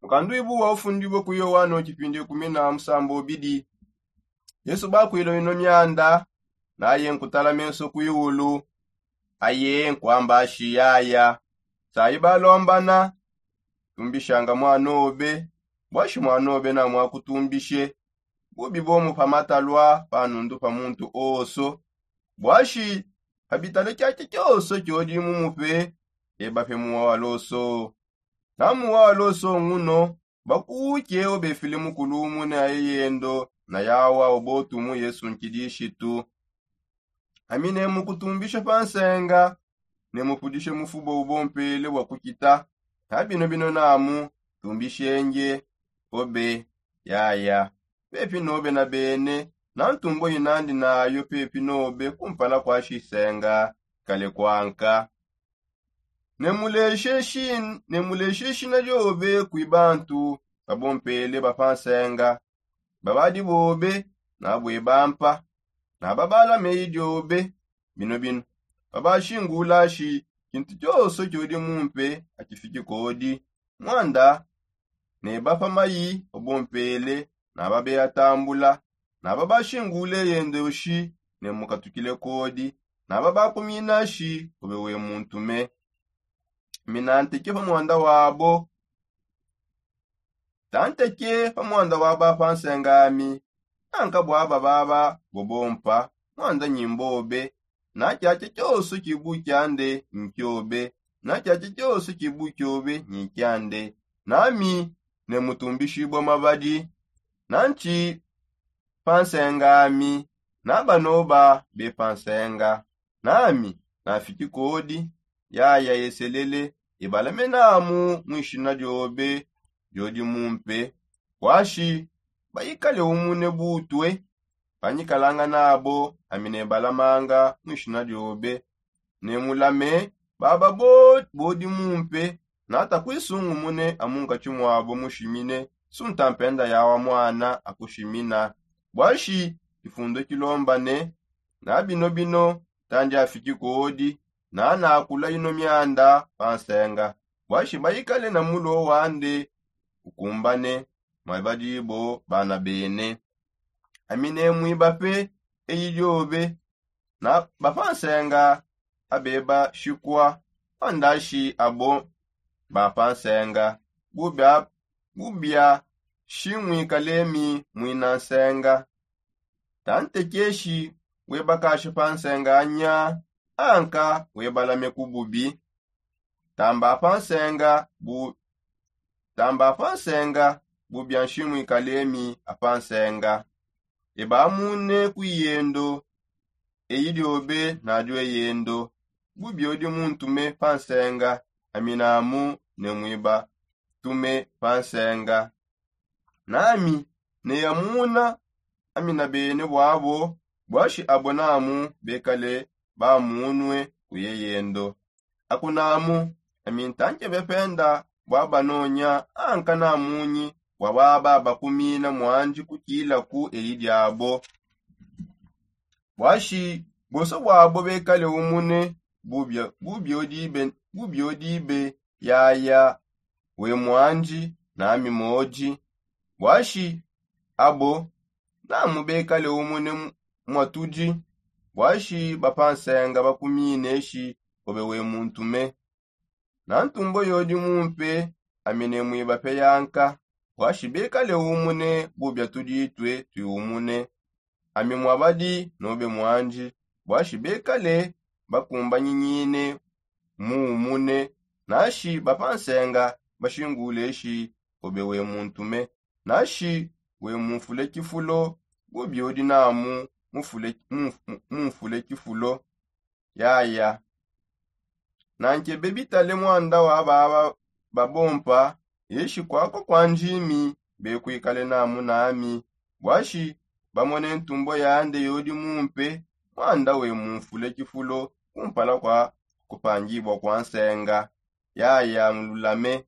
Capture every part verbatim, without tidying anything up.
Mukanduibu wa ufundibue ku yohano tshipindi kumi na musambo bidi. Yesu bakwila ino mianda, naye nkutala menso kuiulu. Aye nkwamba ashi yaya, sayi balombana, tumbishanga mwana obe, bwashi mwana obe namwakutumbishe. Bubi bomu pa matalwa pa nundu pa muntu oso. Bwashi pa bitale kiaki kioso kiodi mumupe, eba pe muwa waloso. Na muwa waloso nguno, bakuuke obefile mukulu umune aye yendo na yawa obotumu yesu nkidishitu. Ami ne mukutumbisha pa nsenga, ne mupudishe mufubo ubompele bwa kukita. Na bino bino namu, tumbishenge obe yaya, pepi nobe na bene. Na ntumbo inandi nayo pepi nobe kumpala kwa shisenga kale kwanka. Ne muleshe shina liobe kwi bantu babompele ba pa nsenga. Babadi bobe nabwe bampa, na babala meyi diobe. Bino bino babashingula shi kintu kioso kiodi mumpe akifiki kodi. Mwanda ne bapa mayi obompele, na babe atambula, na babashingule yendo shi ne mukatukile kodi, na babakumina shi obe we muntume. Mina nteke pa mwanda wabo, tanteke pa mwanda wabo apa nsenga ami. Nanka bwaba baba bobompa mwanda nyimbobe. Na kiaki kioso kibu kiande nkiobe, na kiaki kioso kibu kiobe nyikiande. Nami ne mutumbishibwa mabadi, nanti pa nsenga ami, na banoba be pa nsenga. Nami nafiki kodi yaya yeselele, ebalame namu mwishina diobe diodi mumpe, bwashi bayikale umune butue. Panyikalanga nabo ami nebalamanga mwishina diobe, ne mulame baba bodi mumpe. Nata kwisungumune amunkatshi mwabo mushimine sunta mpenda yawa mwana akushimina. Bwashi kifundo kilombane, na bino bino tandi afiki kodi, na nakula ino mianda pa nsenga, bwashi bayikale na mulo wande ukumbane mwa badibo bana bene. Ami ne mwiba pe eyi diobe, na bapansenga abeba shikwa pandashi abo bapansenga. Bubia bubia shimwikalemi mwina nsenga. Tantekeshi webakasha pansenga anya anka webalame kububi. Tamba pansenga bu tamba pansenga bubia nshimwikalemi apansenga. Ebamune ku yendo eyi diobe nadio eyendo. Bubiodi muntume pansenga, aminamu ne mwiba tume pansenga. Nami neyamuna amina bene bwabo, bwashi abo namu bekale bamunwe kuye yendo. Akunamu ami ntanke bependa bwabanonya anka namunyi bwababa bakumina mwandi kukila ku eyi diabo. Bwashi bonso bwabo bekale umune bubiodibe yaya we mwandi nami modi. Bwashi abo namu bekale umune mwatudi. Bwashi bapansenga bakumine shi obe we muntume. Na ntumbo yodi mumpe ami ne mwiba pe yanka. Bwashi bekale umune bubia tuditwe twiumune. Ami mwabadi nobe mwandi. Bwashi bekale bakumbanyinyine muumune. Nashi bapansenga bashingule shi obe we muntume. Nashi we mumfule kifulo bubiodi namu mumfule kifulo. Yaya nankebe bitale mwanda wa baba babompa. Yeshi kwakwa kwa njimi bekwikale namu nami. Bwashi bamone ntumbo yande yodi mumpe mwanda we mumfule kifulo kumpala kwa kupangibwa kwa nsenga. Yaya mululame.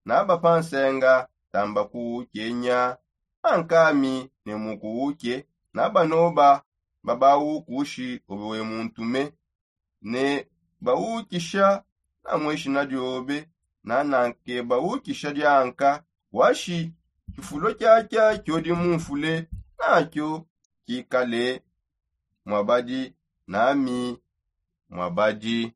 Naba pansenga tamba kuukenya. Ankami ne mukuuke. Naba noba babaukushi obe we muntume. Ne baukisha na mwishina diobe. Nananke baukisha dianka Washi tshifulo tshiatshia tshiodi mumfule natshio tshikale muabadi nami muabadi.